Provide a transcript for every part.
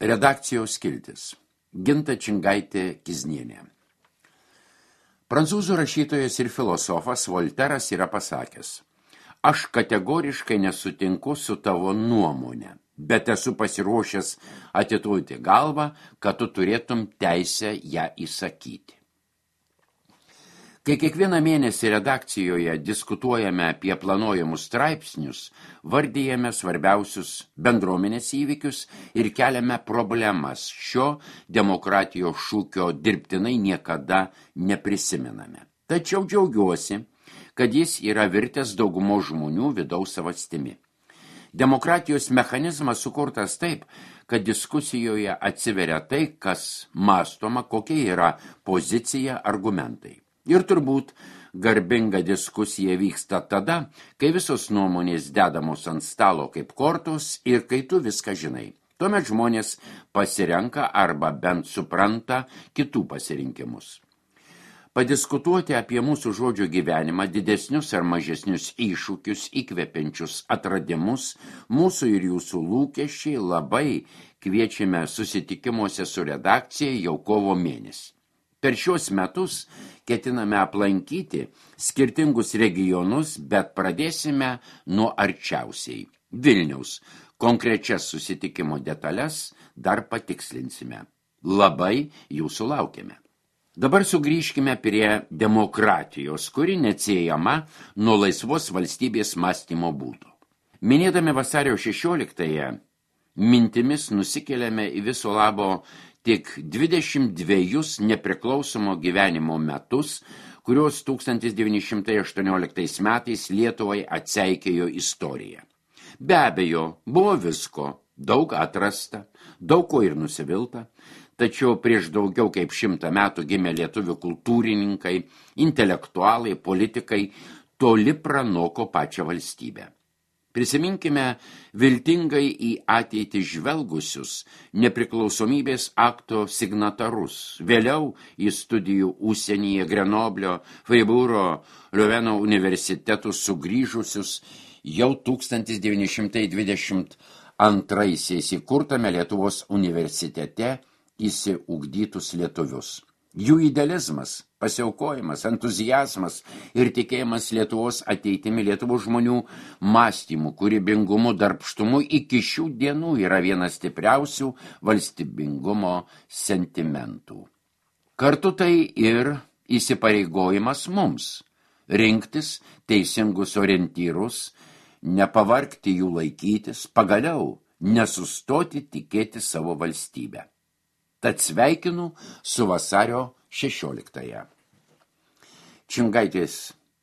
Redakcijos skiltis. Ginta Čingaitė Kiznienė. Prancūzų rašytojas ir filosofas Volteras yra pasakęs: aš kategoriškai nesutinku su tavo nuomonė, bet esu pasiruošęs atiduoti galvą, kad tu turėtum teisę ją įsakyti. Kai kiekvieną mėnesį redakcijoje diskutuojame apie planuojamus straipsnius, vardijame svarbiausius bendruomenės įvykius ir keliame problemas, šio demokratijos šūkio dirbtinai niekada neprisimename. Tačiau džiaugiuosi, kad jis yra virtęs daugumo žmonių vidaus savastimi. Demokratijos mechanizmas sukurtas taip, kad diskusijoje atsiveria tai, kas mąstoma, kokia yra pozicija, argumentai. Ir turbūt garbinga diskusija vyksta tada, kai visos nuomonės dedamos ant stalo kaip kortos ir kai tu viską žinai. Tuomet žmonės pasirenka arba bent supranta kitų pasirinkimus. Padiskutuoti apie mūsų žodžio gyvenimą, didesnius ar mažesnius iššūkius, įkvepiančius atradimus, mūsų ir jūsų lūkesčiai labai kviečiame susitikimuose su redakcija jau kovo mėnesį. Per šios metus ketiname aplankyti skirtingus regionus, bet pradėsime nuo arčiausiai Vilniaus. Konkrečias susitikimo detalės dar patikslinsime. Labai jūsų laukiame. Dabar sugrįžkime prie demokratijos, kuri neatsiejama nuo laisvos valstybės mąstymo būdo. Minėdami vasario 16-ąją, mintimis nusikeliame į viso labo tik 22 nepriklausomo gyvenimo metus, kurios 1918 metais Lietuvai atseikėjo istorija. Be abejo, buvo visko, daug atrasta, daug ko ir nusivilta, tačiau prieš daugiau kaip 100 metų gimė lietuvių kultūrininkai, intelektualai, politikai, toli pranoko pačią valstybę. Prisiminkime viltingai į ateitį žvelgusius nepriklausomybės akto signatarus, vėliau į studijų užsienyje Grenoblio, Friburgo, Liuveno universitetus sugrįžusius jau 1922 įkurtame Lietuvos universitete įsiugdytus lietuvius. Jų idealizmas, pasiaukojimas, entuziazmas ir tikėjimas Lietuvos ateitimi, Lietuvos žmonių mąstymu, kūrybingumu, darbštumu iki šių dienų yra vienas stipriausių valstybingumo sentimentų. Kartu tai ir įsipareigojimas mums rinktis teisingus orientyrus, nepavargti jų laikytis, pagaliau nesustoti tikėti savo valstybę. Tad sveikinu su vasario 16-ąją. Čingaitės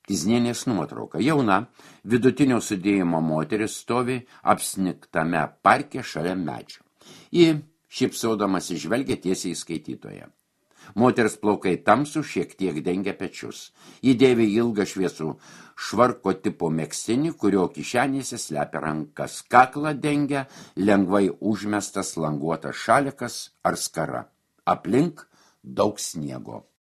Kiznienės nuotrauka. Jauna, vidutinio sudėjimo moteris stovi apsnigtame parke šalia medžio. Ji, šypsodamas, žvelgia tiesiai į skaitytoją. Moters plaukai tamsų šiek tiek dengia pečius. Ji dėvi ilgą šviesų švarko tipo megztinį, kurio kišenėse slepia rankas. Kaklą dengia lengvai užmestas languotas šalikas ar skara. Aplink daug sniego.